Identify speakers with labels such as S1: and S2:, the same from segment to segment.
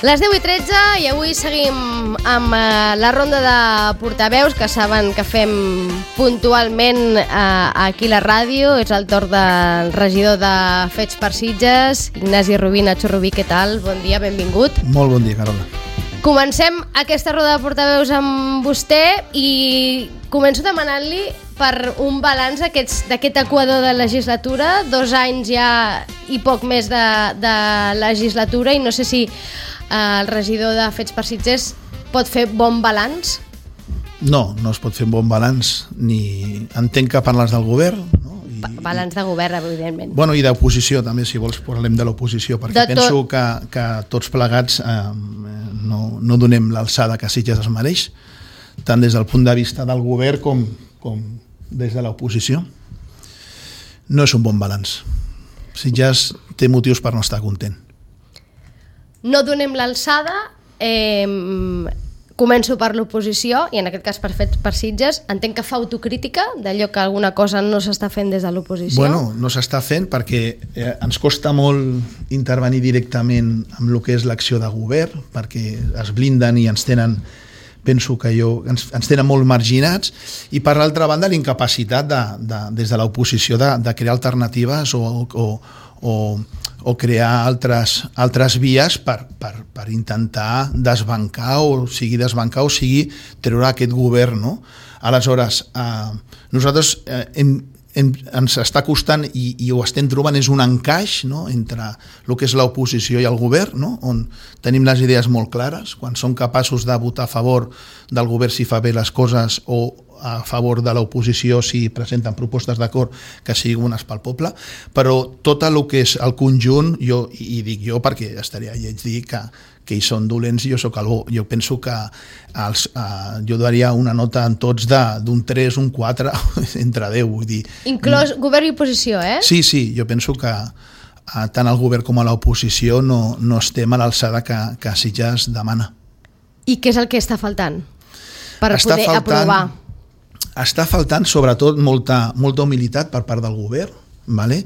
S1: Les 10:13 i avui seguim amb la ronda de portaveus que saben que fem puntualment aquí a la ràdio. És el torn del regidor de Fets per Sitges, Ignasi Rubí. Nacho Rubí, què tal? Bon dia, benvingut.
S2: Molt bon dia, Carola.
S1: Comencem aquesta roda de portaveus amb vostè i començo demanant-li per un balanç d'aquest equador de legislatura, 2 anys ja i poc més de legislatura, i no sé si el regidor de Fets per Sitges pot fer bon balanç?
S2: No es pot fer un bon balanç, ni entenc que parles del govern, no?
S1: Balanç de govern, evidentment.
S2: Bueno, i d'oposició també, si vols parlem de l'oposició, perquè penso que tots plegats no donem l'alçada que Sitges es mereix, tant des del punt de vista del govern com des de l'oposició. No és un bon balanç. Sitges té motius per no estar content.
S1: No donem l'alçada, començo per l'oposició, i en aquest cas per Sitges. Entenc que fa autocrítica d'allò que alguna cosa no s'està fent des de l'oposició.
S2: Bueno, no s'està fent perquè ens costa molt intervenir directament amb el que és l'acció de govern, perquè es blinden i ens tenen, penso que ens tenen molt marginats, i per l'altra banda l'incapacitat des de l'oposició de crear alternatives o crear altres vies per intentar desbancar o sigui treure aquest govern, no? Aleshores, nosaltres ens està costant i ho estem trobant és un encaix, no?, entre el que és l'oposició i el govern, no?, on tenim les idees molt clares, quan som capaços de votar a favor del govern si fa bé les coses o a favor de l'oposició si presenten propostes d'acord que siguin bones pel poble, però tot el que és el conjunt, i dic jo perquè estaria lleig dir que ells són dolents i jo sóc el bo. Jo penso que jo daria una nota en tots d'un 3, un 4, entre 10, vull dir.
S1: Inclòs govern i oposició, eh?
S2: Sí, jo penso que tant el govern com a l'oposició no estem a l'alçada que Sitges demana.
S1: I què és el que està faltant per poder aprovar?
S2: Està faltant sobretot molta humilitat per part del govern, ¿vale?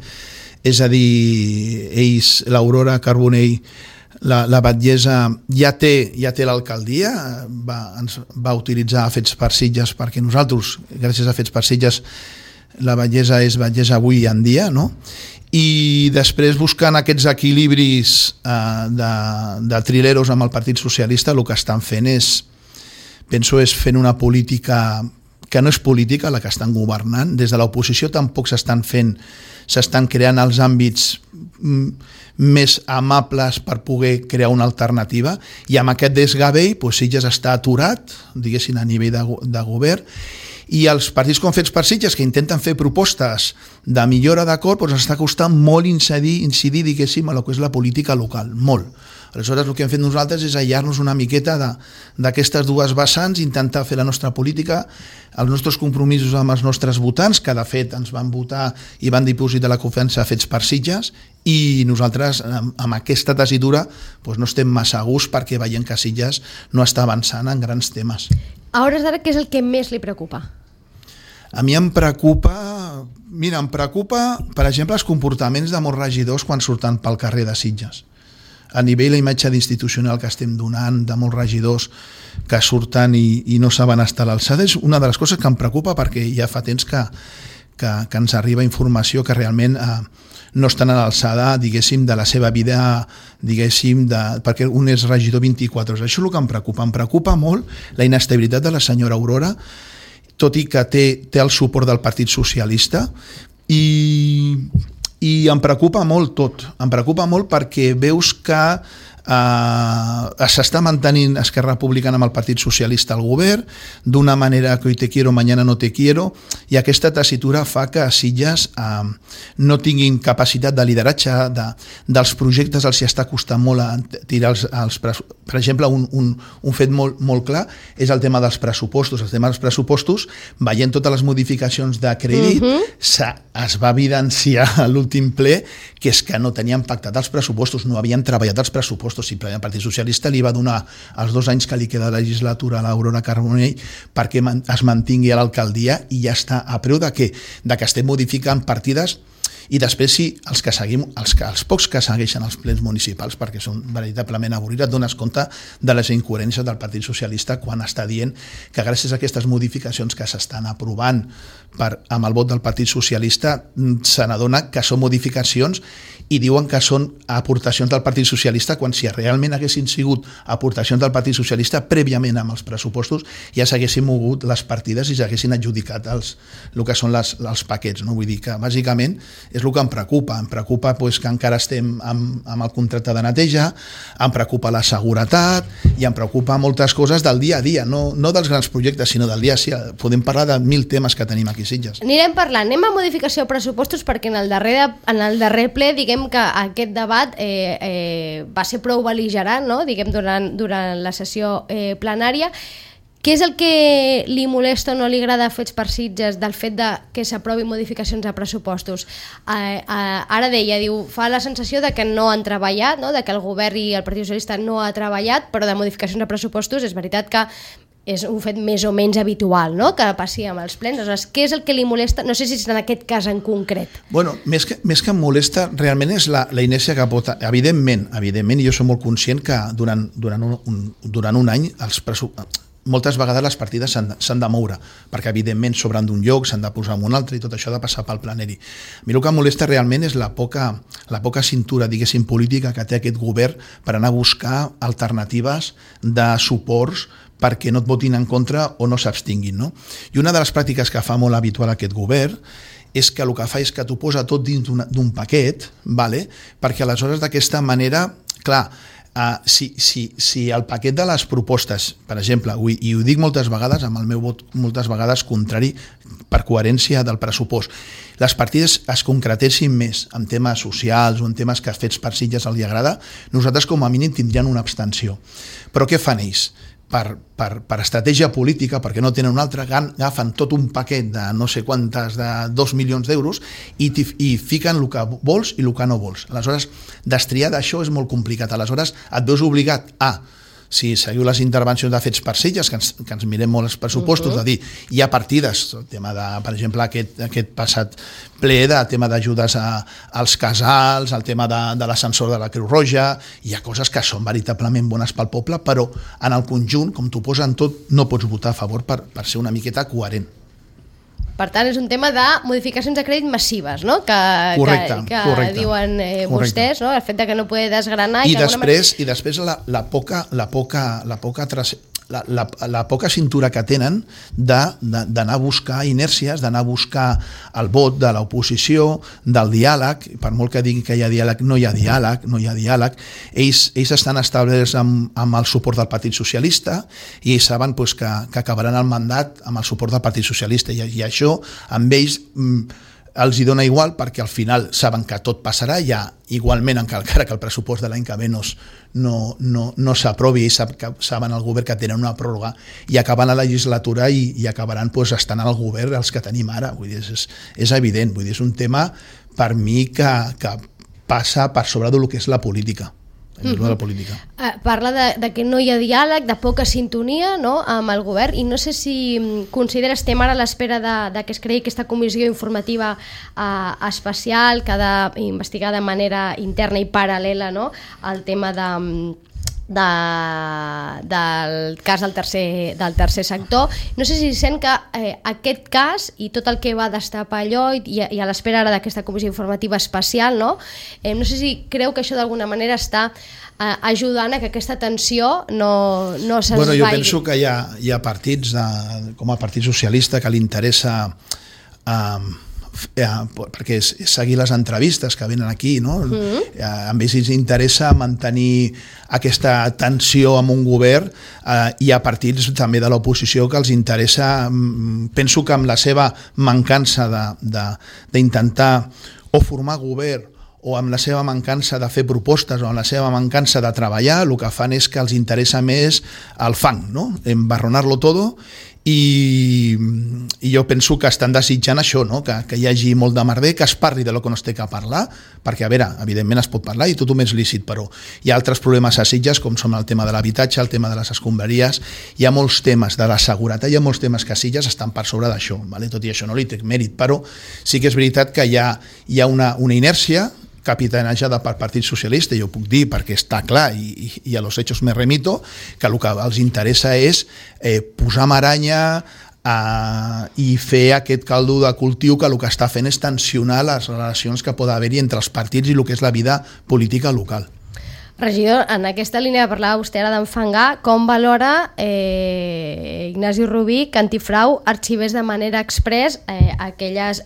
S2: És a dir, ells, l'Aurora Carbonell, la batllessa ja té l'alcaldia, ens va utilitzar Fets per Sitges perquè nosaltres, gràcies a Fets per Sitges, la batllessa és batllessa avui en dia, no? I després buscant aquests equilibris de trileros amb el Partit Socialista, el que estan fent penso fent una política que no és política la que estan governant. Des de l'oposició tampoc s'estan creant els àmbits més amables per poder crear una alternativa, i amb aquest desgavell Sitges està aturat, diguéssim, a nivell de govern, i els partits com Fets per Sitges, que intenten fer propostes de millora d'acord, ens està costant molt incidir, diguéssim, a el que és la política local, molt. Aleshores, el que hem fet nosaltres és aïllar-nos una miqueta d'aquestes dues vessants, intentar fer la nostra política, els nostres compromisos amb els nostres votants, que de fet ens van votar i van dipositar la confiança a Fets per Sitges, i nosaltres amb aquesta tessitura no estem massa a gust perquè veiem que Sitges no està avançant en grans temes.
S1: A hores d'ara, què és el que més li preocupa?
S2: A mi em preocupa, per exemple, els comportaments de molts regidors quan surten pel carrer de Sitges. A nivell la imatge institucional que estem donant de molts regidors que surten i no saben estar a l'alçada és una de les coses que em preocupa, perquè ja fa temps que ens arriba informació que realment no estan a l'alçada, diguéssim, de la seva vida, diguéssim, perquè un és regidor 24 hores. Això és el que em preocupa molt, la inestabilitat de la senyora Aurora, tot i que té el suport del Partit Socialista, i em preocupa molt tot. Em preocupa molt perquè veus que s'està mantenint Esquerra Republicana amb el Partit Socialista al govern d'una manera que hoy te quiero, mañana no te quiero, i aquesta tessitura fa que a Sitges no tinguin capacitat de lideratge dels projectes. Els està costant molt tirar per exemple, un fet molt clar és el tema dels pressupostos. El tema dels pressupostos, veient totes les modificacions de crèdit, es va evidenciar a l'últim ple que és que no tenien pactat els pressupostos, no havien treballat els pressupostos. Simplement el Partit Socialista li va donar els 2 anys que li queda de legislatura a l'Aurora Carbonell perquè es mantingui a l'alcaldia, i ja està, a preu de què? De que estem modificant partides I després, si els pocs que segueixen els plens municipals, perquè són veritablement avorrits, et dones compte de les incoherències del Partit Socialista quan està dient que gràcies a aquestes modificacions que s'estan aprovant amb el vot del Partit Socialista se n'adona que són modificacions i diuen que són aportacions del Partit Socialista, quan si realment haguessin sigut aportacions del Partit Socialista prèviament amb els pressupostos ja s'haguessin mogut les partides i s'haguessin adjudicat el que són els paquets, no? Vull dir que bàsicament és el que em preocupa pues, que encara estem amb el contracte de neteja, em preocupa la seguretat i em preocupa moltes coses del dia a dia, no dels grans projectes sinó del dia a dia. Podem parlar de 1000 temes que tenim aquí a Sitges.
S1: Anirem parlant, anem a modificació de pressupostos perquè en el darrer ple diguem que aquest debat va ser prou bel·ligerant, no? Diguem, durant la sessió plenària. Què és el que li molesta o no li agrada Fets per Sitges del fet de que s'aprovin modificacions de pressupostos? Ara deia, diu, fa la sensació de que no han treballat, no? De que el govern i el Partit Socialista no ha treballat, però de modificacions de pressupostos és veritat que és un fet més o menys habitual, no?, que passi amb els plens. Aleshores, què és el que li molesta? No sé si és en aquest cas en concret.
S2: Bueno, més que em molesta, realment és la inèrcia que pot... Evidentment, i jo soc molt conscient que durant un any moltes vegades les partides s'han de moure, perquè evidentment sobren d'un lloc, s'han de posar en un altre i tot això ha de passar pel plenari. A mi el que em molesta realment és la poca cintura, diguéssim, política que té aquest govern per anar a buscar alternatives de suports perquè no et votin en contra o no s'abstinguin, no? I una de les pràctiques que fa molt habitual aquest govern és que el que fa és que t'ho posa tot dins d'un paquet, vale? Perquè aleshores d'aquesta manera, clar, si el paquet de les propostes, per exemple, i ho dic moltes vegades amb el meu vot moltes vegades contrari per coherència del pressupost, les partides es concretessin més en temes socials o en temes que Fets per Sitges els agrada, nosaltres com a mínim tindríem una abstenció. Però què fan ells? Per estratègia política, perquè no tenen una altra, agafen tot un paquet de no sé quantes, de 2 milions d'euros i fiquen el que vols i el que no vols. Aleshores, destriar d'això és molt complicat. Aleshores, et veus obligat a, si seguiu les intervencions de Fets per Sitges, que ens mirem molt els pressupostos, de dir, hi ha partides, el tema de, per exemple, aquest passat ple de tema d'ajudes als casals, el tema de l'ascensor de la Creu Roja, hi ha coses que són veritablement bones pel poble, però en el conjunt, com t'ho posen tot, no pots votar a favor per ser una miqueta coherent.
S1: Per tant, és un tema de modificacions de crèdit massives, no? Correcte. Diuen vostès, no? El fet de que no pugui desgranar...
S2: I després la poca cintura que tenen d'anar a buscar inèrcies, d'anar a buscar el vot de l'oposició, del diàleg, per molt que diguin que hi ha diàleg, no hi ha diàleg. Ells estan establerts amb el suport del Partit Socialista i ells saben que acabaran el mandat amb el suport del Partit Socialista i això amb ells els hi dona igual perquè al final saben que tot passarà, ja igualment encara que el pressupost de l'any que ve no s'aprovi i saben el govern que tenen una pròrroga i acaben la legislatura i acabaran estant al govern els que tenim ara. Vull dir, és evident, vull dir, és un tema per mi que passa per sobre del que és la política. De la política.
S1: Parla de que no hi ha diàleg, de poca sintonia, no?, amb el govern, i no sé si consideres, estem ara a l'espera de que es creï aquesta comissió informativa especial que ha d'investigar de manera interna i paral·lela, no?, el tema del cas del tercer sector. No sé si sent que aquest cas i tot el que va destapar allò i a l'espera ara d'aquesta comissió informativa especial, no sé si creu que això d'alguna manera està ajudant a que aquesta tensió no s'esvaigui.
S2: Bueno, jo penso que hi ha partits com el Partit Socialista que li interessa perquè és seguir les entrevistes que venen aquí, no? A ells els interessa mantenir aquesta tensió amb un govern i a partits també de l'oposició que els interessa, penso que amb la seva mancança d'intentar o formar govern o amb la seva mancança de fer propostes o amb la seva mancança de treballar, el que fan és que els interessa més al fang, no? Embarronar-lo todo, i jo penso que estan desitjant això, no? Que hi hagi molt de merder, que es parli de lo que no es té que parlar, perquè, a veure, evidentment es pot parlar i tothom és lícit, però hi ha altres problemes a Sitges, com són el tema de l'habitatge, el tema de les escombraries, hi ha molts temes de la seguretat, hi ha molts temes que a Sitges estan per sobre d'això, vale? Tot i això no li trec mèrit, però sí que és veritat que hi ha una inèrcia capitanejada per Partit Socialista, jo ho puc dir perquè està clar i a los hechos me remito, que el que els interessa és posar maranya i fer aquest caldo de cultiu que el que està fent és tensionar les relacions que pot haver-hi entre els partits i el que és la vida política local.
S1: Regidor, en aquesta línia que parlava vostè ara d'enfangar, com valora Ignasi Rubí que Antifrau arxivés de manera express aquelles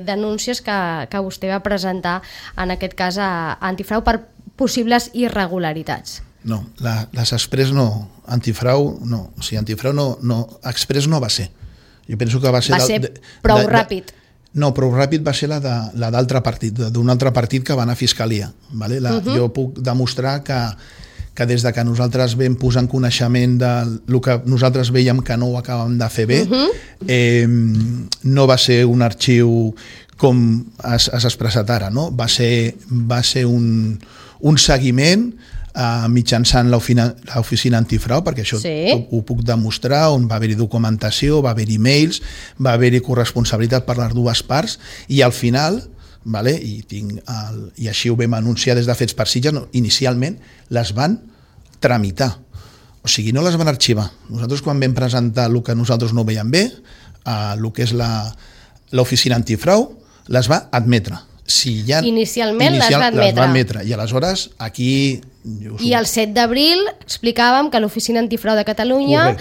S1: denúncies que vostè va presentar, en aquest cas a Antifrau, per possibles irregularitats?
S2: No, les express no, Antifrau no, o sigui, Antifrau no, express no va ser. Jo penso que va ser
S1: prou ràpid.
S2: No, prou ràpid va ser la d'altre partit, d'un altre partit que va anar a Fiscalia. Vale? Jo puc demostrar que des de que nosaltres vam posar en coneixement del que nosaltres veiem que no ho acabem de fer bé, no va ser un arxiu com has expressat ara, no? Va ser un seguiment mitjançant l'oficina Antifrau, perquè això ho puc demostrar, on va haver-hi documentació, va haver-hi mails, va haver-hi corresponsabilitat per les dues parts, i al final, i així ho vam anunciar des de Fets per Sitges, inicialment les van tramitar, o sigui, no les van arxivar. Nosaltres, quan vam presentar el que nosaltres no veiem bé, el que és l'oficina Antifrau, les va admetre.
S1: Inicialment les va admetre.
S2: I aleshores aquí...
S1: I el 7 d'abril explicàvem que l'Oficina Antifrau de Catalunya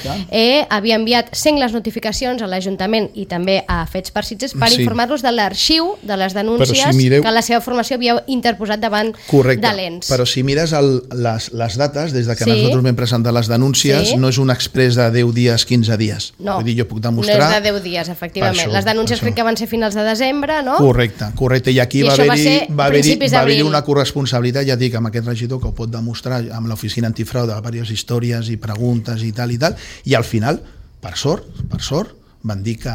S1: havia enviat sengles notificacions a l'Ajuntament i també a Fets per Sitges per informar-los de l'arxiu de les denúncies que la seva formació havia interposat davant de l'ENS.
S2: Però si mires les dates, des de que nosaltres vam presentar les denúncies, no és un exprés de 10 dies, 15 dies.
S1: No,
S2: vull dir, jo puc demostrar...
S1: no és de 10 dies, efectivament. Les denúncies crec que van ser finals de desembre, no?
S2: Correcte. I aquí va haver-hi una corresponsabilitat, ja dic, amb aquest regidor que ho pot demostrar amb l'oficina Antifrau de diverses històries i preguntes i tal, i al final, per sort, van dir que,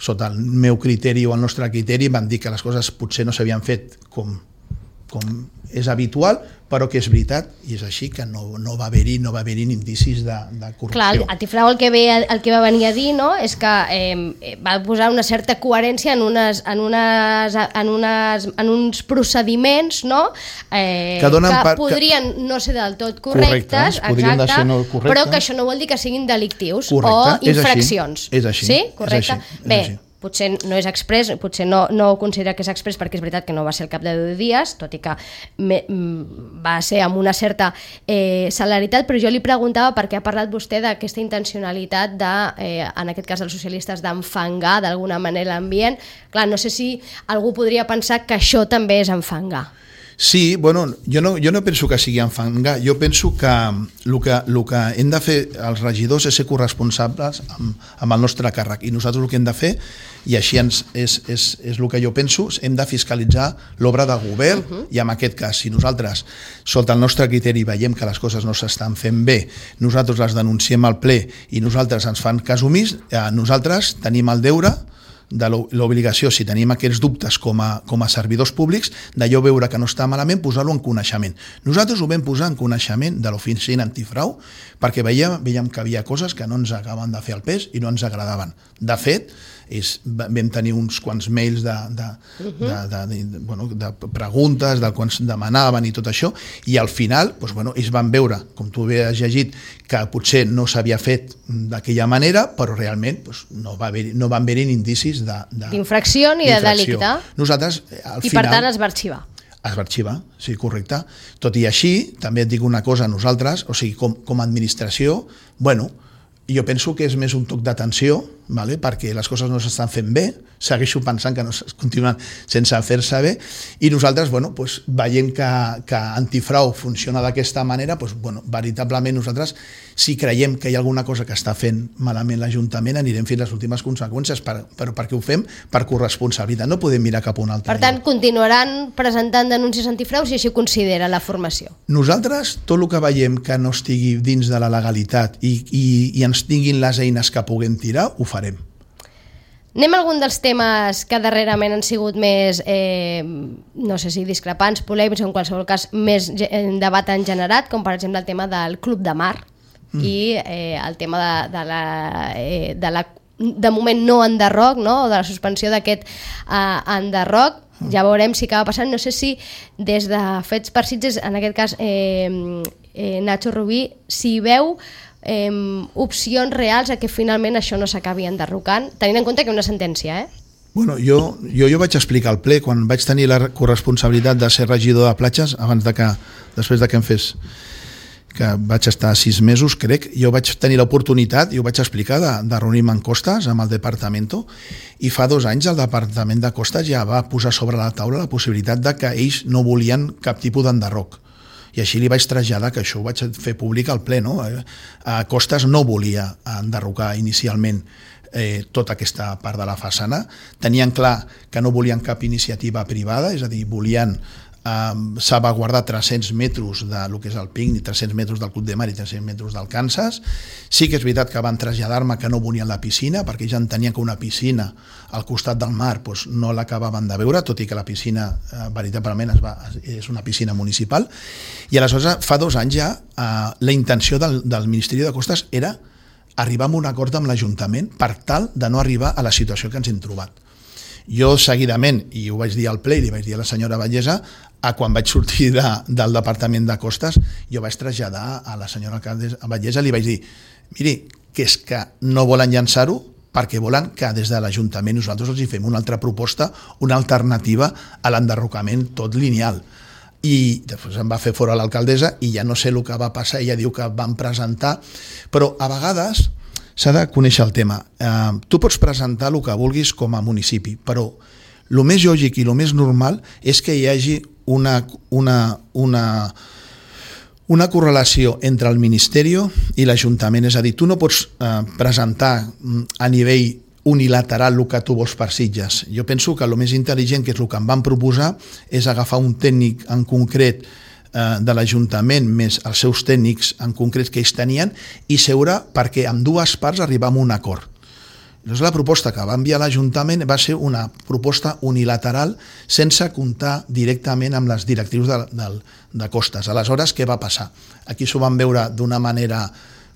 S2: sota el meu criteri o el nostre criteri, van dir que les coses potser no s'havien fet com és habitual, però que és veritat, i és així, que no va haver-hi indicis de corrupció.
S1: Clar, Antifrau el que va venir a dir, no?, és que va posar una certa coherència en uns procediments, no?, que podrien no ser del tot correctes, però que això no vol dir que siguin delictius o infraccions.
S2: És així.
S1: Sí? Correcte. Bé, potser no és express, potser no ho considera que és express perquè és veritat que no va ser al cap de 10 dies, tot i que va ser amb una certa celeritat, però jo li preguntava per què ha parlat vostè d'aquesta intencionalitat en aquest cas dels socialistes, d'enfangar d'alguna manera l'ambient. Clar, no sé si algú podria pensar que això també és enfangar.
S2: Sí, jo no penso que sigui enfangar, jo penso que el que hem de fer els regidors és ser corresponsables amb el nostre càrrec, i nosaltres el que hem de fer, i així és el que jo penso, hem de fiscalitzar l'obra de govern, i en aquest cas, si nosaltres, sota el nostre criteri, veiem que les coses no s'estan fent bé, nosaltres les denunciem al ple i nosaltres ens fan cas omís, nosaltres tenim el deure de l'obligació, si tenim aquests dubtes com a servidors públics, d'allò veure que no està malament, posar-lo en coneixement. Nosaltres ho vam posar en coneixement de l'oficina Antifrau perquè veiem que havia coses que no ens acabaven de fer el pes i no ens agradaven. De fet, vam tenir uns quants mails de preguntes, del que ens demanaven i tot això, i al final ells van veure, com tu has llegit, que potser no s'havia fet d'aquella manera, però realment no van haver-hi indicis
S1: d'infracció ni de delicte.
S2: Nosaltres, al final...
S1: I per tant es va arxivar.
S2: Es va arxivar, sí, correcte. Tot i així, també et dic una cosa, nosaltres, o sigui, com a administració, jo penso que és més un toc d'atenció vale? Perquè les coses no s'estan fent bé, segueixo pensant que no es continuen sense fer-se bé, i nosaltres veiem que Antifrau funciona d'aquesta manera, veritablement nosaltres, si creiem que hi ha alguna cosa que està fent malament l'Ajuntament, anirem fins a les últimes conseqüències, però perquè ho fem per corresponsabilitat, no podem mirar cap a un altre.
S1: Per tant, continuaran presentant denúncies antifrau si així ho considera la formació.
S2: Nosaltres, tot el que veiem que no estigui dins de la legalitat i ens tinguin les eines que puguem tirar, ho farem.
S1: Anem a algun dels temes que darrerament han sigut més, no sé si discrepants, polèmics, o en qualsevol cas més debat han generat, com per exemple el tema del Club de Mar i el tema de moment no enderroc, no? O de la suspensió d'aquest enderroc. Ja veurem si acaba passant. No sé si des de Fets per Sitges, en aquest cas Nacho Rubí, si veu opcions reals a que finalment això no s'acabi enderrocant, tenint en compte que hi ha una sentència,
S2: Bueno, jo vaig explicar al ple, quan vaig tenir la corresponsabilitat de ser regidor de platges, després de que em fes, que vaig estar 6 mesos, crec, jo vaig tenir l'oportunitat, i ho vaig explicar, de reunir-me en Costes amb el Departamento, i fa 2 anys el Departament de Costes ja va posar sobre la taula la possibilitat de que ells no volien cap tipus d'enderroc. I així li vaig traslladar, que això ho vaig fer públic al ple, no? Costes no volia enderrocar inicialment tota aquesta part de la façana. Tenien clar que no volien cap iniciativa privada, és a dir, volien salvaguardar 300 metres del que és el PICNIC, 300 metres del Club de Mar i 300 metres del Kansas. Sí que és veritat que van traslladar-me que no volien la piscina, perquè ja entenien que una piscina al costat del mar no l'acabaven de veure, tot i que la piscina veritablement és una piscina municipal. I aleshores, fa 2 anys ja, la intenció del Ministeri de Costes era arribar a un acord amb l'Ajuntament per tal de no arribar a la situació que ens hem trobat. Jo seguidament, i ho vaig dir al ple i li vaig dir a la senyora Vallesa, quan vaig sortir del Departament de Costes, jo vaig traslladar a la senyora Vallesa, li vaig dir, miri, que és que no volen llançar-ho perquè volen que des de l'Ajuntament nosaltres els hi fem una altra proposta, una alternativa a l'enderrocament tot lineal. I després em va fer fora l'alcaldessa i ja no sé el que va passar, ella diu que van presentar, però a vegades s'ha de conèixer el tema. Tu pots presentar el que vulguis com a municipi, però el més lògic i el més normal és que hi hagi una correlació entre el Ministeri i l'Ajuntament. És a dir, tu no pots presentar a nivell unilateral el que tu vols per Sitges. Jo penso que el més intel·ligent, que és el que em van proposar, és agafar un tècnic en concret de l'Ajuntament més els seus tècnics en concret que ells tenien i seure perquè amb 2 parts arribar a un acord. Llavors la proposta que va enviar l'Ajuntament va ser una proposta unilateral sense comptar directament amb les directrius de Costes. Aleshores, què va passar? Aquí s'ho van veure d'una manera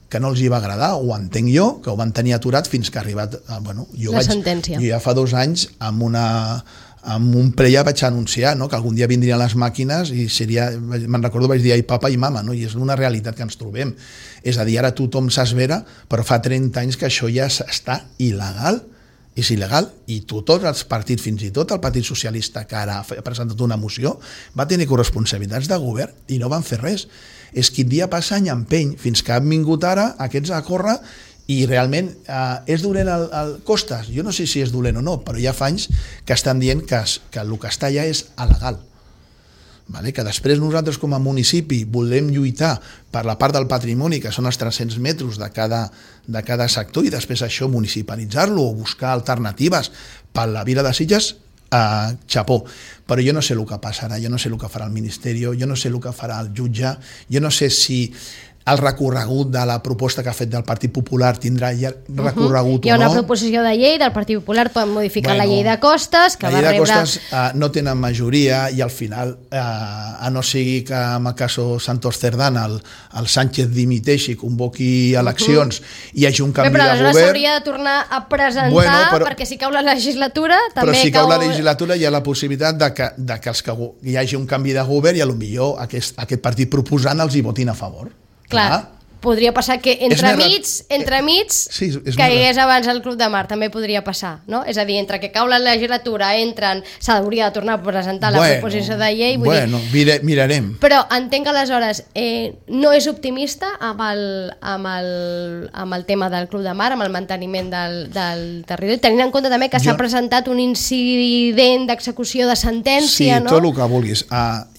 S2: que no els hi va agradar, ho entenc jo, que ho van tenir aturat fins que ha arribat...
S1: la sentència.
S2: Jo ja fa 2 anys amb un ple ja vaig anunciar que algun dia vindrien les màquines i me'n recordo, vaig dir ai papa i mama, i és una realitat que ens trobem. És a dir, ara tothom s'esvera, però fa 30 anys que això ja està il·legal, és il·legal, i tots els partits, fins i tot el Partit Socialista, que ara ha presentat una moció, va tenir corresponsabilitats de govern i no van fer res. És que dia passa any empeny, fins que han vingut ara aquests a córrer. I realment és dolent el Costes? Jo no sé si és dolent o no, però ja fa anys que estan dient que el que està allà és il·legal. Que després nosaltres com a municipi volem lluitar per la part del patrimoni, que són els 300 metres de cada sector, i després això municipalitzar-lo o buscar alternatives per la Vila de Sitges, xapó. Però jo no sé el que passarà, jo no sé el que farà el Ministeri, jo no sé el que farà el jutge, jo no sé si el recorregut de la proposta que ha fet del Partit Popular tindrà recorregut o no.
S1: Hi ha una proposició de llei del Partit Popular, poden modificar la llei de Costes, que va rebre...
S2: La llei de Costes no tenen majoria i al final, a no sigui que en el cas Santos Cerdán el Sánchez dimiteixi, convoqui eleccions i hi hagi un canvi de govern...
S1: Però aleshores s'hauria de tornar a presentar, perquè si cau la legislatura també cau...
S2: Però si cau la legislatura hi ha la possibilitat de que hi hagi un canvi de govern i potser aquest partit proposant els hi votin a favor.
S1: Clar. podria passar que entremig
S2: sí,
S1: caigués abans el Club de Mar, també podria passar, no? És a dir, entre que cau la legislatura, s'hauria de tornar a presentar la proposició de llei.
S2: Mirarem.
S1: Però entenc que aleshores no és optimista amb el tema del Club de Mar, amb el manteniment del territori, tenint en compte també que s'ha presentat un incident d'execució de sentència, no?
S2: Sí, tot el que vulguis.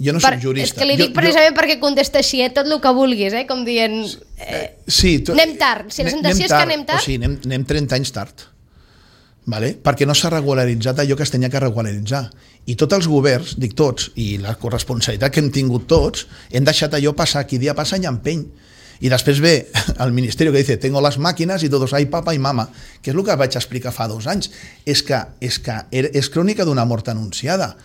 S2: Jo no soc jurista.
S1: És que li dic precisament perquè contesta així, tot el que vulguis, com dient... anem tard, si la sensació és que anem tard...
S2: O sigui, anem 30 anys tard, vale? Perquè no s'ha regularitzat allò que es tenia que regularitzar. I tots els governs, dic tots, i la corresponsabilitat que hem tingut tots, hem deixat allò passar, qui dia passa any empeny. I després ve el Ministeri que dice tengo las máquinas y todos hay papa y mama, que és el que vaig explicar fa 2 anys. És crònica d'una mort anunciada.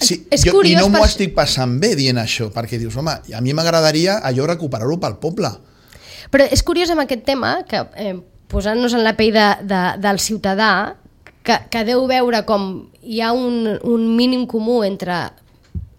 S2: Sí, i no m'ho estic passant bé dient això, perquè dius, home, a mi m'agradaria allò recuperar-ho pel poble.
S1: Però és curiós amb aquest tema, que posant-nos en la pell del ciutadà, que deu veure com hi ha un mínim comú entre,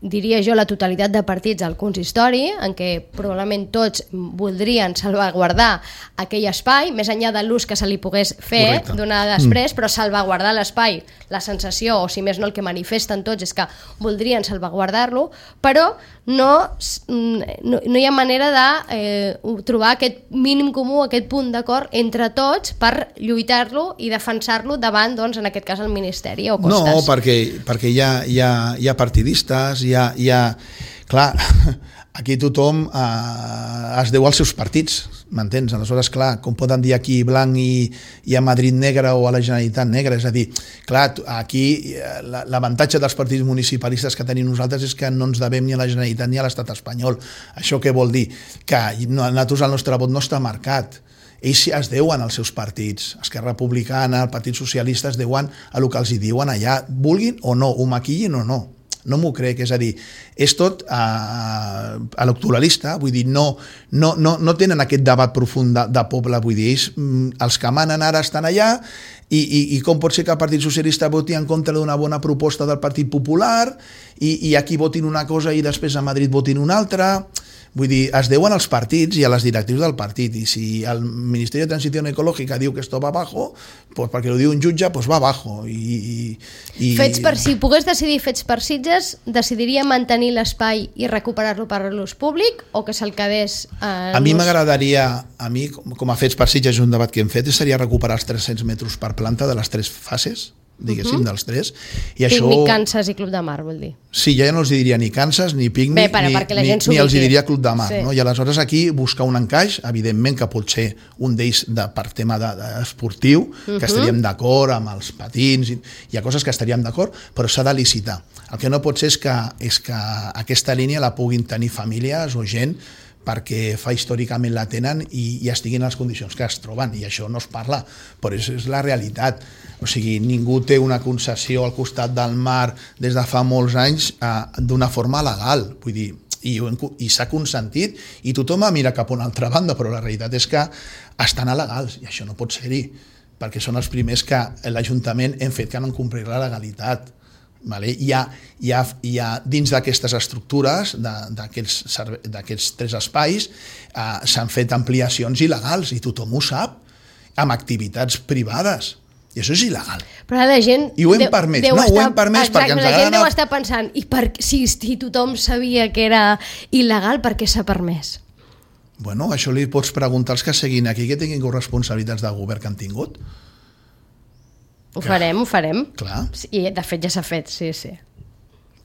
S1: diria jo, la totalitat de partits al consistori, en què probablement tots voldrien salvaguardar aquell espai, més enllà de l'ús que se li pogués fer donar després, però salvaguardar l'espai, la sensació, o si més no el que manifesten tots és que voldrien salvaguardar-lo, però no hi ha manera de trobar aquest mínim comú, aquest punt d'acord entre tots per lluitar-lo i defensar-lo davant, doncs, en aquest cas, el Ministeri o Costas.
S2: No, perquè hi ha partidistes, clar, aquí tothom es deu als seus partits, m'entens? Aleshores, clar, com poden dir aquí blanc i a Madrid negre o a la Generalitat negra, és a dir, clar, aquí l'avantatge dels partits municipalistes que tenim nosaltres és que no ens devem ni a la Generalitat ni a l'Estat espanyol. Això què vol dir? Que nosaltres el nostre vot no està marcat. Ells es deuen als seus partits. Esquerra Republicana, el Partit Socialista es deuen a el que els hi diuen allà, vulguin o no, ho maquillin o no. No m'ho crec, és a dir, és tot electoralista, vull dir, no tenen aquest debat profund de poble, vull dir, ells, els que manen ara estan allà i com pot ser que el Partit Socialista voti en contra d'una bona proposta del Partit Popular i aquí votin una cosa i després a Madrid votin una altra. Vull dir, es deuen als partits i a les directius del partit, i si el Ministeri de Transició Ecològica diu que esto va abajo, pues perquè ho diu un jutge, pues va abajo.
S1: Si pogués decidir Fets per Sitges, decidiria mantenir l'espai i recuperar-lo per a l'ús públic o que se'l quedés
S2: a mi m'agradaria, com a Fets per Sitges és un debat que hem fet, seria recuperar els 300 metres per planta de les 3 fases, diguéssim, dels 3.
S1: Pícnic, Kansas i Club de Mar, vol dir.
S2: Sí, ja no els diria ni Kansas, ni Pícnic, ni els diria Club de Mar. Sí. No? I aleshores aquí buscar un encaix, evidentment que pot ser un d'ells per tema esportiu, que estaríem d'acord amb els patins, hi ha coses que estaríem d'acord, però s'ha de licitar. El que no pot ser és que aquesta línia la puguin tenir famílies o gent perquè fa històricament la tenen i estiguin en les condicions que es troben, i això no es parla, però és la realitat. O sigui, ningú té una concessió al costat del mar des de fa molts anys d'una forma legal, vull dir, i s'ha consentit i tothom mira cap a una altra banda, però la realitat és que estan alegals i això no pot ser-hi, perquè són els primers que l'Ajuntament hem fet que no complir la legalitat. Vale? Hi ha dins d'aquestes estructures, d'aquests 3 espais, s'han fet ampliacions il·legals i tothom ho sap, amb activitats privades. I això és il·legal.
S1: Però la gent
S2: i ho hem permès. No, ho hem permès perquè ens agrada...
S1: La gent deu estar pensant, si tothom sabia que era il·legal, per què s'ha permès?
S2: Bueno, això li pots preguntar als que seguin aquí, que tinguin responsabilitats de govern que han tingut.
S1: Ho farem.
S2: Clar.
S1: I de fet ja s'ha fet, sí.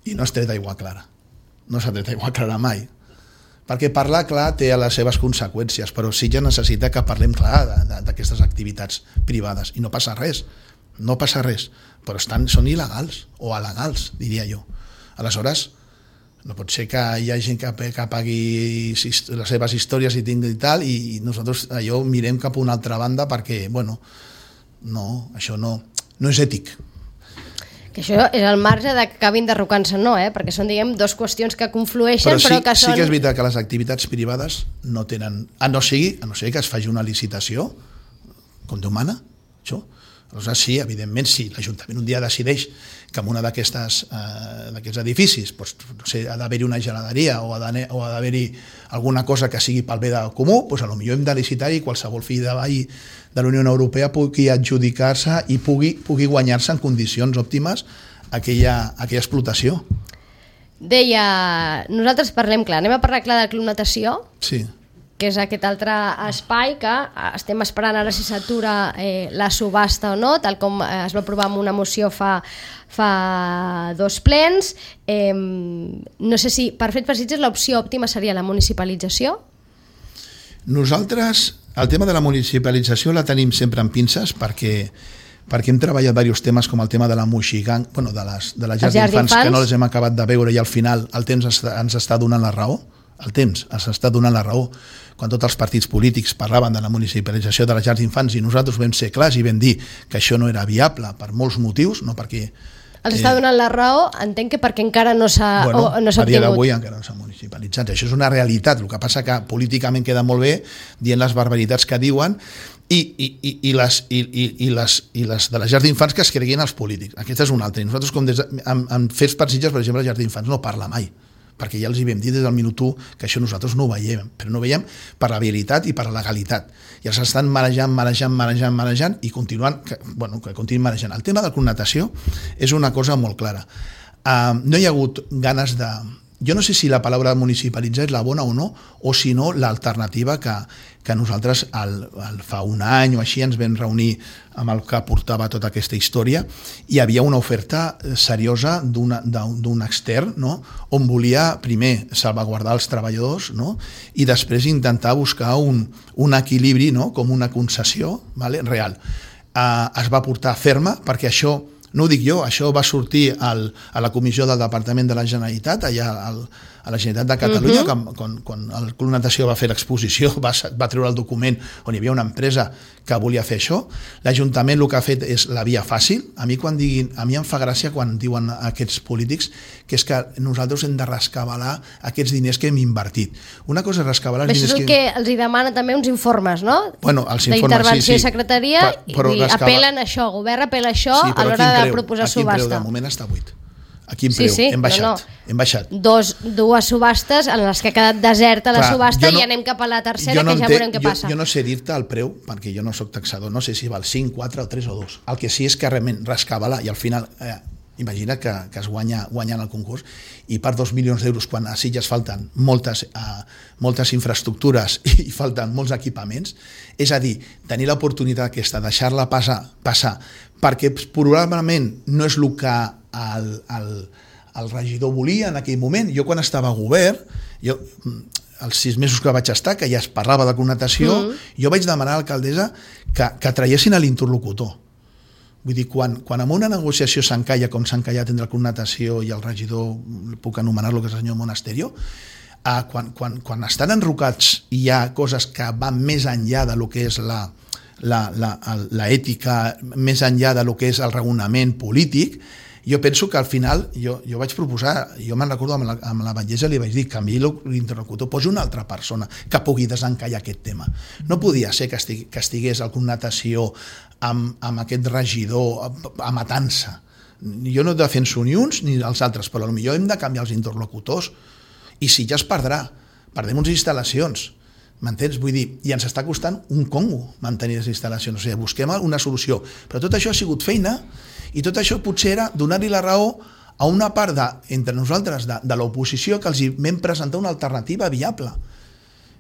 S2: I no has tret aigua clara. No s'ha tret aigua clara mai. Perquè parlar clar té les seves conseqüències, però sí que necessita que parlem clar d'aquestes activitats privades. I no passa res, però són il·legals, o alegals, diria jo. Aleshores, no pot ser que hi ha gent que pagui les seves històries i tingui i tal, i nosaltres allò mirem cap a una altra banda perquè, bueno, no, això no és ètic.
S1: Que això és el marge de que acabin derrocant-se, no, perquè són, diguem, 2 qüestions que conflueixen, però que són...
S2: Sí que és veritat que les activitats privades no tenen... A no ser que es faci una licitació, com Déu mana, això, Aleshores, sí, evidentment, si l'Ajuntament un dia decideix que en una d'aquests edificis no sé, ha d'haver-hi una geladeria o ha d'haver-hi alguna cosa que sigui pel bé del comú, doncs potser hem de licitar i qualsevol fill de veí de la Unió Europea pugui adjudicar-se i pugui guanyar-se en condicions òptimes aquella explotació.
S1: Deia, nosaltres parlem clar, anem a parlar clar del Club Natació,
S2: sí,
S1: que és aquest altre espai que estem esperant ara si s'atura la subhasta o no, tal com es va aprovar amb una moció fa 2 plens. No sé si per fet per Sitges l'opció òptima seria la municipalització.
S2: Nosaltres el tema de la municipalització la tenim sempre en pinces perquè hem treballat diversos temes com el tema de la moixiganga, de les llars d'infants que no les hem acabat de veure i al final el temps ens està donant la raó. El temps ens està donant la raó quan tots els partits polítics parlaven de la municipalització de les llars d'infants i nosaltres vam ser clars i vam dir que això no era viable per molts motius, no perquè...
S1: Els està donant la raó, entenc que perquè encara no s'ha obtingut.
S2: A dia d'avui encara no s'ha municipalitzat. Això és una realitat, el que passa que políticament queda molt bé dient les barbaritats que diuen i les de les llars d'infants que es creguin els polítics. Aquesta és una altra. Nosaltres, com en Fets per Sitges, per exemple, les llars d'infants no parla mai, perquè ja els hi vam dir des del minut 1 que això nosaltres no ho veiem, però no ho veiem per la viabilitat i per la legalitat. I els estan marejant i continuant, que continuïn marejant. El tema de la connotació és una cosa molt clara. No hi ha hagut ganes de... Jo no sé si la paraula municipalitzar és la bona o no, o si no l'alternativa que nosaltres fa un any o així ens vam reunir amb el que portava tota aquesta història i hi havia una oferta seriosa d'un extern, no? On volia primer salvaguardar els treballadors, no? I després intentar buscar un equilibri, no? Com una concessió, vale? Real. Es va portar ferma perquè això, no ho dic jo, això va sortir a la comissió del Departament de la Generalitat, allà a la Generalitat de Catalunya, quan el Club Natació va fer l'exposició, va treure el document on hi havia una empresa que volia fer això. L'Ajuntament el que ha fet és la via fàcil. A mi em fa gràcia quan diuen aquests polítics que és que nosaltres hem de rescabalar aquests diners que hem invertit. Una cosa és rescabalar els diners
S1: que... Això és el que els hi demana també uns informes, no?
S2: Bueno, els informes,
S1: d'intervenció i secretaria, i apel·len a això, el govern apel·la a això a l'hora de proposar subhasta.
S2: A quin preu? De moment està buit. A quin preu? Hem baixat.
S1: Dues subhastes en les que ha quedat deserta la subhasta i anem cap a la tercera, que ja veurem què passa.
S2: Jo no sé dir-te el preu, perquè jo no soc taxador, no sé si val 5, 4 o 3 o 2. El que sí és que realment rescabalar i al final... Imagina que es guanyen el concurs i per 2 milions d'euros, quan a Sitges falten moltes infraestructures i falten molts equipaments, és a dir, tenir l'oportunitat aquesta, deixar-la passar, perquè probablement no és el que el regidor volia en aquell moment. Jo quan estava a govern, els 6 mesos que vaig estar, que ja es parlava de connotació, jo vaig demanar a l'alcaldessa que traiessin a l'interlocutor. Vull dir, quan en una negociació s'encalla com s'ha encallat entre el Club Natació i el regidor, puc anomenar-lo, que és el senyor Monasterio, quan estan enrocats i hi ha coses que van més enllà de lo que és l'ètica, més enllà de lo que és el raonament polític, jo penso que al final, jo vaig proposar, jo me'n recordo amb la batllessa, li vaig dir, canviï l'interlocutor, posi una altra persona que pugui desencallar aquest tema. No podia ser que estigués el Club Natació amb aquest regidor amatant-se. Jo no defenso ni uns ni els altres, però potser hem de canviar els interlocutors i si ja es perdem unes instal·lacions, m'entens? Vull dir, i ens està costant un congo mantenir les instal·lacions, o sigui, busquem una solució, però tot això ha sigut feina i tot això potser era donar-li la raó a una part entre nosaltres de l'oposició que els vam presentar una alternativa viable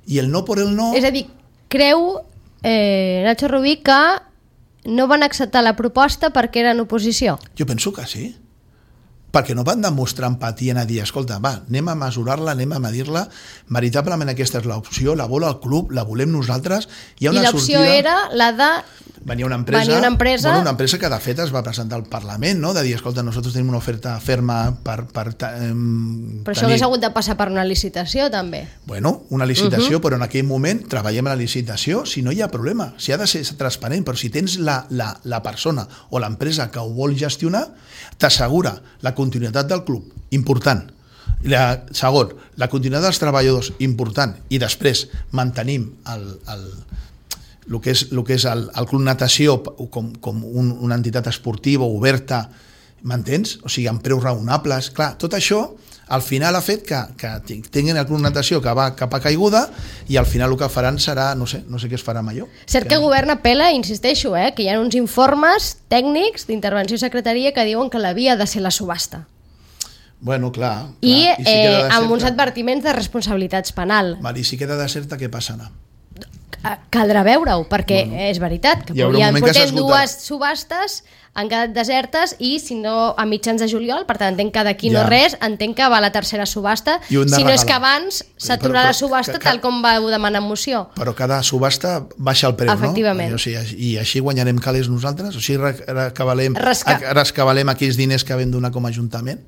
S2: i el no per el no...
S1: És a dir, creu Nacho Rubí que no van acceptar la proposta perquè eren oposició?
S2: Jo penso que sí, perquè no van demostrar empatia a dir, escolta, va, anem a mesurar-la, anem a medir-la, veritablement aquesta és l'opció, la vol el club, la volem nosaltres, hi ha una
S1: sortida... I l'opció era la de...
S2: Venia una empresa que de fet es va presentar al Parlament, no? De dir, escolta, nosaltres tenim una oferta ferma per
S1: Però això hauria hagut de passar per una licitació, també.
S2: Bueno, una licitació, però en aquell moment treballem a la licitació, si no hi ha problema, si ha de ser transparent, però si tens la persona o l'empresa que ho vol gestionar, t'assegura la continuïtat del club, important. Segon, la continuïtat dels treballadors, important, i després mantenim el que és el Club Natació com una entitat esportiva oberta, m'entens? O sigui, amb preus raonables. Clar, tot això al final ha fet que tinguin el Club Natació que va cap a caiguda i al final el que faran serà, no sé què es farà amb allò.
S1: Cert que el govern apela, insisteixo, que hi ha uns informes tècnics d'intervenció i secretaria que diuen que la via ha de ser la subhasta.
S2: Bueno, clar.
S1: I amb uns advertiments de responsabilitats penal.
S2: I si queda deserta, què passarà?
S1: Caldrà veure-ho, perquè és veritat que portem dues subhastes, han quedat desertes i si no a mitjans de juliol, per tant entenc que d'aquí no res, entenc que va la tercera subhasta, si no és que abans s'aturarà la subhasta tal com vau demanar en moció.
S2: Però cada subhasta baixa el preu,
S1: efectivament.
S2: No? I així guanyarem calés nosaltres? O sigui, rescabalem aquells diners que vam donar com a Ajuntament?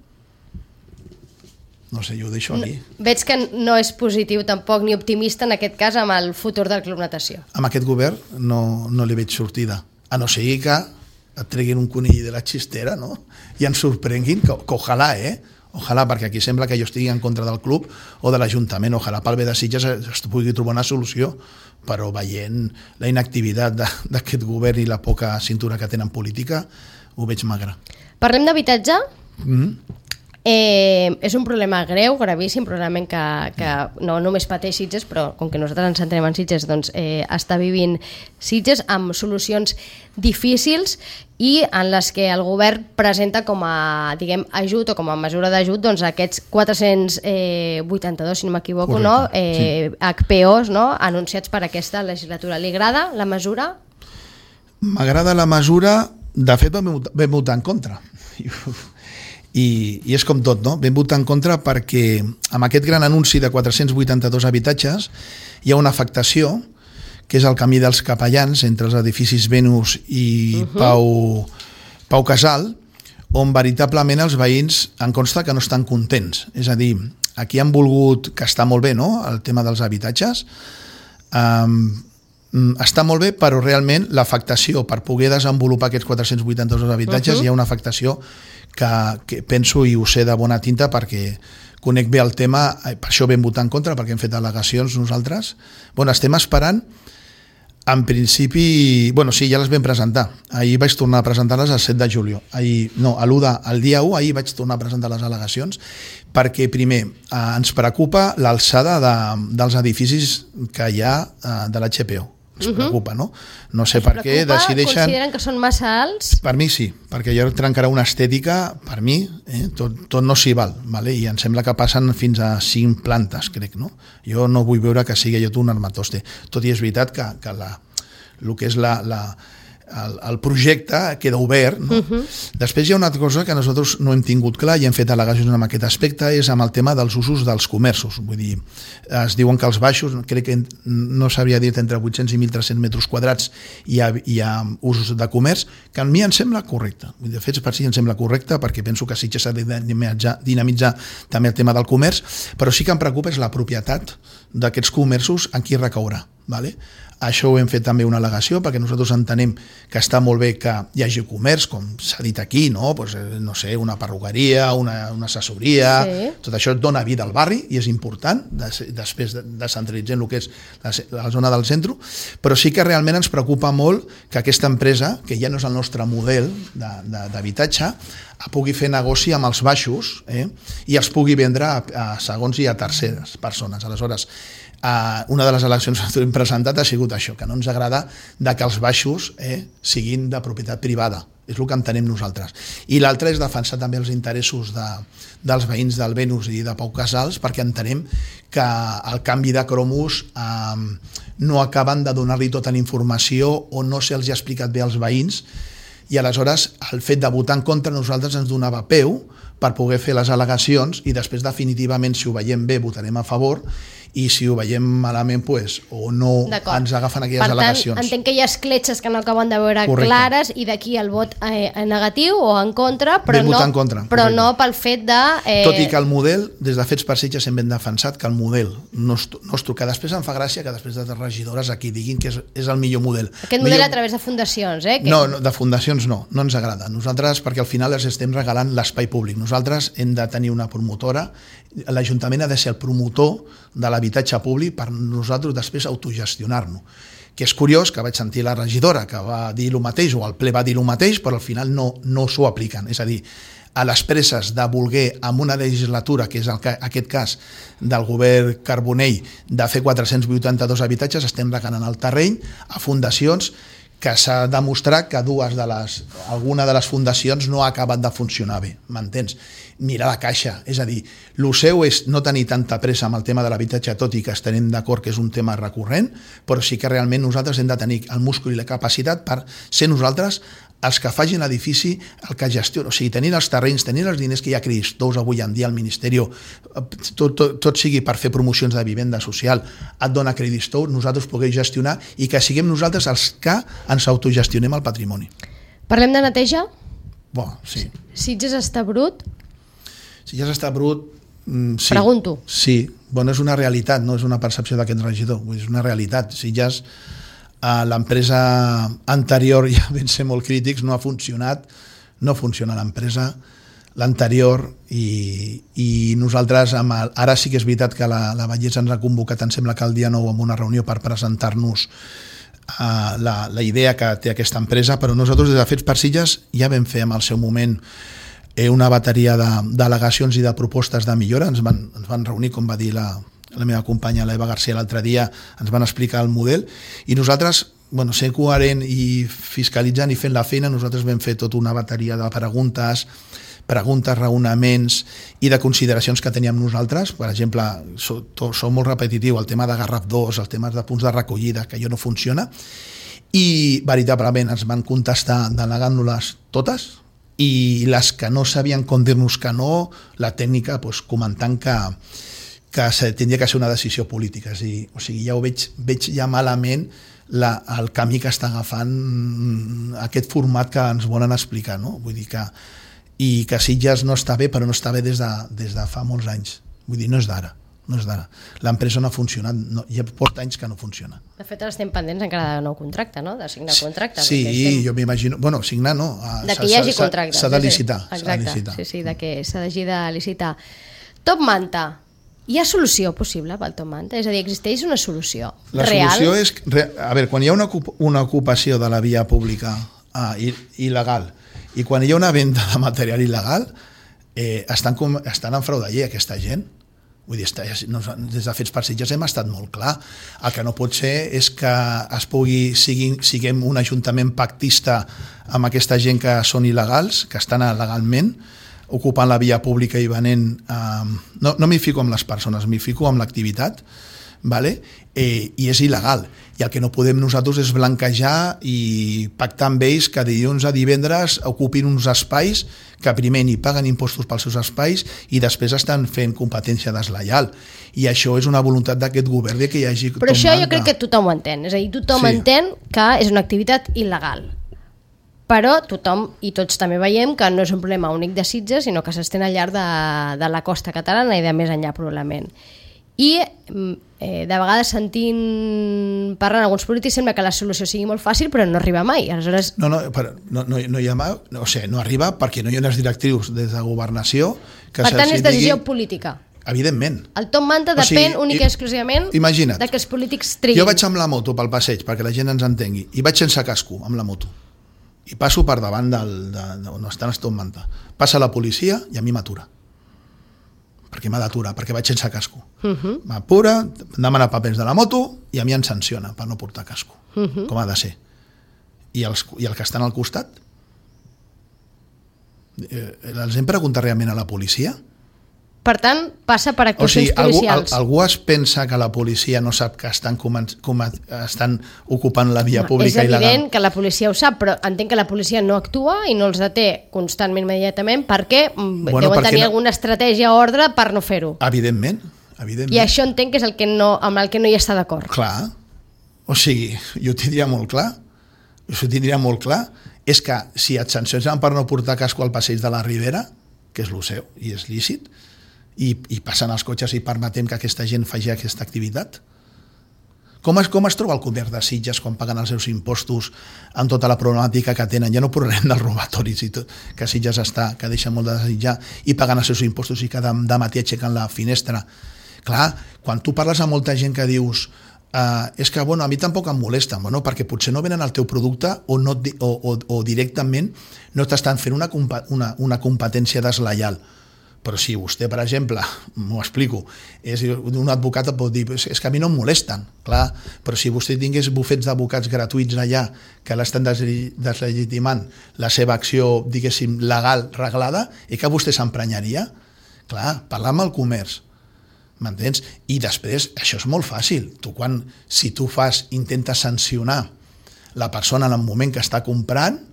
S2: No sé, jo ho deixo aquí.
S1: Veig que no és positiu tampoc ni optimista en aquest cas amb el futur del Club Natació.
S2: Amb aquest govern no li veig sortida. A no ser que et treguin un conill de la xistera, no? I ens sorprenguin, que ojalà, ojalà, perquè aquí sembla que jo estigui en contra del club o de l'Ajuntament. Ojalà pel bé de Sitges es pugui trobar una solució, però veient la inactivitat d'aquest govern i la poca cintura que tenen política, ho veig magre.
S1: Parlem d'habitatge? És un problema greu, gravíssim, probablement que no només pateix Sitges, però com que nosaltres ens centrem en Sitges, doncs està vivint Sitges amb solucions difícils i en les que el govern presenta com a, diguem, ajut o com a mesura d'ajut doncs aquests 482, si no m'equivoco, no? HPOs, no? Anunciats per aquesta legislatura. Li agrada la mesura?
S2: M'agrada la mesura, de fet vam votar en contra. I és com tot, no? Vam votar en contra perquè amb aquest gran anunci de 482 habitatges hi ha una afectació, que és el camí dels capellans entre els edificis Venus i Pau Casal, on veritablement els veïns em consta que no estan contents. És a dir, aquí han volgut, que està molt bé, no?, el tema dels habitatges, està molt bé, però realment l'afectació per poder desenvolupar aquests 482 habitatges hi ha una afectació que penso i ho sé de bona tinta perquè conec bé el tema, per això vam votar en contra, perquè hem fet al·legacions nosaltres. Bueno, estem esperant, en principi, bueno, sí, ja les vam presentar. Ahir vaig tornar a presentar-les el 7 de juliol. El dia 1, ahir vaig tornar a presentar les al·legacions, perquè primer ens preocupa l'alçada dels edificis que hi ha de l'HPO. Ens preocupa, no? No sé per què decideixen...
S1: Consideren que són massa alts?
S2: Per mi sí, perquè allò trencarà una estètica, per mi, tot no s'hi val, i em sembla que passen fins a 5 plantes, crec, no? Jo no vull veure que sigui allò un armatoste. Tot i és veritat que el que és el projecte queda obert, no? Després hi ha una altra cosa que nosaltres no hem tingut clar i hem fet al·legacions en aquest aspecte, és amb el tema dels usos dels comerços. Vull dir, es diuen que els baixos, crec que no s'havia dit entre 800 i 1.300 metres quadrats hi ha usos de comerç, que a mi em sembla correcte. De fet, per si em sembla correcte, perquè penso que Sitges s'ha de dinamitzar també el tema del comerç, però sí que em preocupa és la propietat d'aquests comerços en qui recaurà. Això ho hem fet també una al·legació perquè nosaltres entenem que està molt bé que hi hagi comerç, com s'ha dit aquí, no? Pues, no sé, una perruqueria, una assessoria, tot això dona vida al barri i és important, després descentralitzant el que és la zona del centre, però sí que realment ens preocupa molt que aquesta empresa, que ja no és el nostre model d'habitatge, pugui fer negoci amb els baixos i els pugui vendre a segons i a terceres persones. Aleshores, una de les eleccions que hem presentat ha sigut això, que no ens agrada que els baixos siguin de propietat privada. És el que entenem nosaltres. I l'altre és defensar també els interessos dels veïns del Venus i de Pau Casals, perquè entenem que el canvi de cromos no acaben de donar-li tota la informació o no se'ls ha explicat bé als veïns, i aleshores el fet de votar en contra nosaltres ens donava peu per poder fer les al·legacions i després definitivament, si ho veiem bé, votarem a favor, i si ho veiem malament o no ens agafen aquelles al·legacions.
S1: Per tant, entenc que hi ha escletxes que no acaben de veure clares i d'aquí el vot negatiu o en contra, però no pel fet de...
S2: Tot i que el model, des de Fets per Sitges hem ben defensat que el model nostre, que després em fa gràcia que després de regidores aquí diguin que és el millor model.
S1: Aquest model a través de fundacions,
S2: No, de fundacions no ens agrada. Nosaltres, perquè al final els estem regalant l'espai públic. Nosaltres hem de tenir una promotora, l'Ajuntament ha de ser el promotor de l'habitatge públic per nosaltres després autogestionar-nos. que és curiós que vaig sentir la regidora que va dir el mateix, o el ple va dir el mateix, però al final no s'ho apliquen. És a dir, a les presses de voler, amb una legislatura, que és aquest cas del govern Carbonell, de fer 482 habitatges, estem regalant el terreny a fundacions que s'ha demostrat que alguna de les fundacions no ha acabat de funcionar bé, m'entens? Mirar la caixa, és a dir, el seu és no tenir tanta pressa amb el tema de l'habitatge, tot i que estarem d'acord que és un tema recurrent, però sí que realment nosaltres hem de tenir el múscul i la capacitat per ser nosaltres els que facin l'edifici, el que gestiona, o sigui, tenint els terrenys, tenint els diners que hi ha creditors avui en dia al Ministeri, tot sigui per fer promocions de vivenda social, et dona creditors, nosaltres puguem gestionar i que siguem nosaltres els que ens autogestionem el patrimoni.
S1: Parlem de neteja?
S2: Sí.
S1: Sitges està brut?
S2: Sitges està brut, sí.
S1: Pregunto.
S2: Sí, és una realitat, no és una percepció d'aquest regidor, és una realitat. Sitges, l'empresa anterior, ja vam ser molt crítics, no ha funcionat, no funciona l'empresa, l'anterior, i nosaltres, ara sí que és veritat que la Vallès ens ha convocat, em sembla que el dia 9, amb una reunió per presentar-nos la idea que té aquesta empresa, però nosaltres des de Fets per Sitges ja vam fer en el seu moment una bateria d'al·legacions i de propostes de millora. Ens van reunir, com va dir la meva companya, l'Eva García, l'altre dia, ens van explicar el model, i nosaltres, sent coherent i fiscalitzant i fent la feina, nosaltres vam fer tota una bateria de preguntes, raonaments i de consideracions que teníem nosaltres. Per exemple, som molt repetitiu, el tema de Garraf 2, el tema de punts de recollida, que allò no funciona, i veritablement ens van contestar denegant-nos-les totes, i les que no sabien com dir-nos que no, la tècnica comentant que tindria que ser una decisió política. O sigui, ja ho veig ja malament el camí que està agafant aquest format que ens volen explicar, no? Vull dir que Sitges no està bé, però no està bé des de fa molts anys. Vull dir, no és d'ara. L'empresa no ha funcionat, ja porta anys que no funciona.
S1: De fet, ara estem pendents encara de nou contracte, no? De signar contracte.
S2: Sí, jo m'imagino... signar no.
S1: De que hi hagi contracte.
S2: S'ha de licitar.
S1: Exacte, sí, de que s'ha de licitar. Top Manta. Hi ha solució possible pel Top Manta? És a dir, existeix una solució real?
S2: La solució és... A veure, quan hi ha una ocupació de la via pública il·legal i quan hi ha una venda de material il·legal, estan en frau de llei aquesta gent. Vull dir, des de Fets per Sitges hem estat molt clar. El que no pot ser és que siguem un ajuntament pactista amb aquesta gent que són il·legals, que estan legalment ocupant la via pública i venent... No m'hi fico amb les persones, m'hi fico amb l'activitat, i és il·legal. I el que no podem nosaltres és blanquejar i pactar amb ells que dilluns a divendres ocupin uns espais que primer ni paguen impostos pels seus espais i després estan fent competència deslleial. I això és una voluntat d'aquest govern que hi hagi...
S1: Però això jo crec que tothom ho entén. És a dir, tothom entén que és una activitat il·legal. Però tothom i tots també veiem que no és un problema únic de Sitges, sinó que s'estén al llarg de la costa catalana i de més enllà probablement. I de vegades sentint parlant alguns polítics sembla que la solució sigui molt fàcil però no arriba mai. Aleshores...
S2: No hi ha mai, no arriba perquè no hi ha unes directrius des de governació que
S1: per tant és decisió política.
S2: Evidentment.
S1: El Top Manta depèn únic i exclusivament de que els polítics triguin.
S2: Jo vaig amb la moto pel passeig perquè la gent ens entengui i vaig sense casco amb la moto i passo per davant on estan els Top Manta. Passa la policia i a mi m'atura perquè m'ha d'aturar, perquè vaig sense casco. M'apura, em demana papers de la moto i a mi em sanciona per no portar casco, com ha de ser. I el que estan al costat? Els hem preguntat realment a la policia?
S1: Per tant, passa per actuacions policials.
S2: Algú es pensa que la policia no sap que estan ocupant la via pública il·legal?
S1: És evident que la policia ho sap, però entenc que la policia no actua i no els deté constantment, immediatament, perquè deuen tenir alguna estratègia o ordre per no fer-ho.
S2: Evidentment.
S1: I això entenc que és amb el que no hi està d'acord.
S2: Clar. O sigui, jo ho tindria molt clar. És que si et sancionen per no portar casco al passeig de la Ribera, que és el seu i és lícit, i passen els cotxes i permetem que aquesta gent faci aquesta activitat? Com es troba el comerç de Sitges quan paguen els seus impostos amb tota la problemàtica que tenen? Ja no parlem dels robatoris i tot, que Sitges està, que deixa molt de desitjar, i paguen els seus impostos i cada matí aixequen la finestra. Clar, quan tu parles amb molta gent que dius és que bueno, a mi tampoc em molesten, bueno, perquè potser no venen el teu producte o directament no t'estan fent una competència deslleial. Però si vostè, per exemple, m'ho explico, és un advocat pot dir és que a mi no em molesten, clar, però si vostè tingués bufets d'advocats gratuïts allà que l'estan deslegitimant la seva acció, diguéssim, legal, reglada, i que vostè s'emprenyaria? Clar, parlar amb el comerç, m'entens? I després, això és molt fàcil. Si tu intentes sancionar la persona en el moment que està comprant,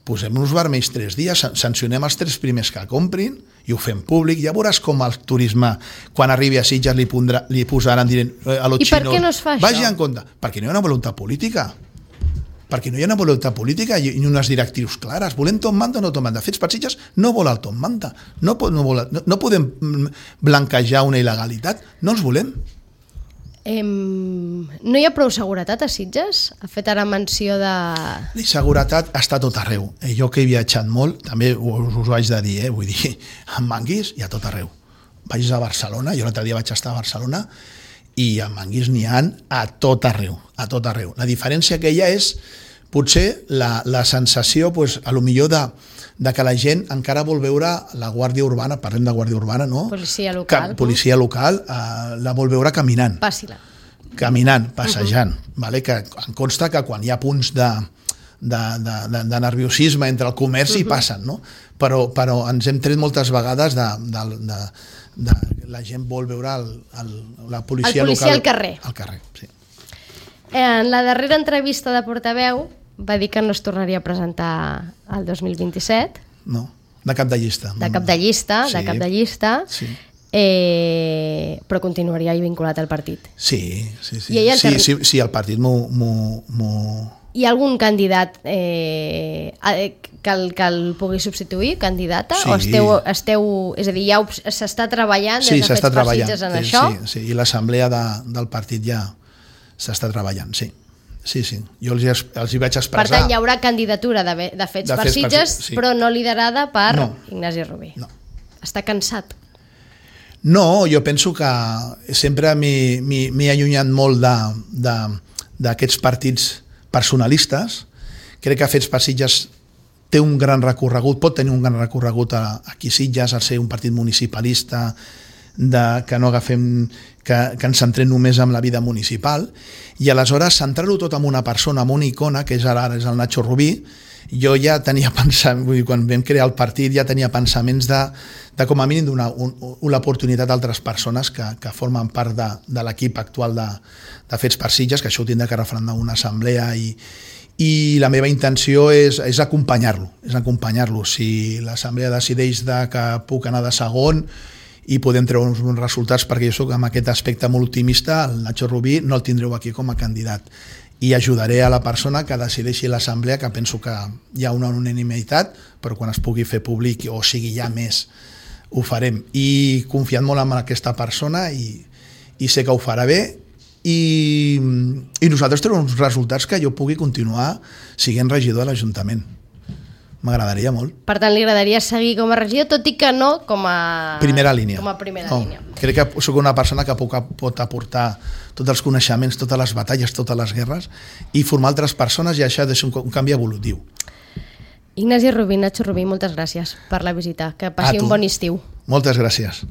S2: posem-nos vermells 3 dies, sancionem els 3 primers que comprin i ho fem públic. Ja veuràs com el turisme, quan arribi a Sitges, li posaran dient a los xinos...
S1: I per què no es fa això?
S2: Vagi en compte. Perquè no hi ha una voluntat política. Perquè no hi ha una voluntat política i unes directrius clares. Volem top manta o no top manta? Fets per Sitges no vol el top manta. No podem blanquejar una il·legalitat. No els volem.
S1: No hi ha prou seguretat a Sitges? Ha fet ara menció de...
S2: La seguretat està a tot arreu. Jo que he viatjat molt, també us ho haig de dir, vull dir, en Manguis hi ha tot arreu. Vaig a Barcelona, jo l'altre dia vaig estar a Barcelona, i en Manguis n'hi ha a tot arreu, a tot arreu. La diferència que hi ha és, potser, la sensació, a lo millor de que la gent encara vol veure la Guàrdia Urbana, parlem de Guàrdia Urbana, no?
S1: Policia local.
S2: Policia local, la vol veure caminant.
S1: Pàssila.
S2: Caminant, passejant. Vale? Que em consta que quan hi ha punts de nerviosisme entre el comerç hi passen, no? Però ens hem tret moltes vegades de la gent vol veure la policia local.
S1: El policia al carrer.
S2: Al carrer, sí.
S1: En la darrera entrevista de portaveu va dir que no es tornaria a presentar el 2027.
S2: No, de cap de llista.
S1: De cap de llista,
S2: sí.
S1: De cap de llista.
S2: Sí.
S1: Però continuaria vinculat al partit.
S2: Sí. Sí, el partit
S1: Hi ha algun candidat que el pugui substituir, candidata?
S2: Sí.
S1: O esteu... És a dir, ja s'està treballant des de Fets per Sitges en això?
S2: Sí, i l'assemblea del partit ja s'està treballant, sí. Sí, jo els hi vaig expressar...
S1: Per tant, hi haurà candidatura de Fets per Sitges, sí. Però no liderada per Ignasi Rubí.
S2: No.
S1: Està cansat?
S2: No, jo penso que sempre m'he allunyat molt d'aquests partits personalistes. Crec que Fets per Sitges té un gran recorregut, pot tenir un gran recorregut aquí a Sitges, al ser un partit municipalista, que no agafem, que ens centrem només en la vida municipal, i aleshores centrar-ho tot en una persona, en una icona, que és ara és el Nacho Rubí. Jo ja tenia quan vam crear el partit ja tenia pensaments de com a mínim donar l'oportunitat a altres persones que formen part de l'equip actual de Fets per Sitges, que això ho tindrà que referendar una assemblea, i la meva intenció és acompanyar-lo. Si l'assemblea decideix que puc anar de segon i podem treure uns resultats, perquè jo soc amb aquest aspecte molt optimista, el Nacho Rubí no el tindreu aquí com a candidat, i ajudaré a la persona que decideixi l'assemblea, que penso que hi ha una unanimitat, però quan es pugui fer públic, o sigui ja més, ho farem, i confiant molt en aquesta persona, i sé que ho farà bé, i nosaltres tenim uns resultats que jo pugui continuar sent regidor de l'Ajuntament. M'agradaria molt.
S1: Per tant, li agradaria seguir com a regidor, tot i que no com a...
S2: Primera línia.
S1: Línia.
S2: Crec que soc una persona que pot aportar tots els coneixements, totes les batalles, totes les guerres, i formar altres persones, i això ha de ser un canvi evolutiu.
S1: Ignasi Rubí, Nacho Rubí, moltes gràcies per la visita. Que passi un bon estiu.
S2: Moltes gràcies.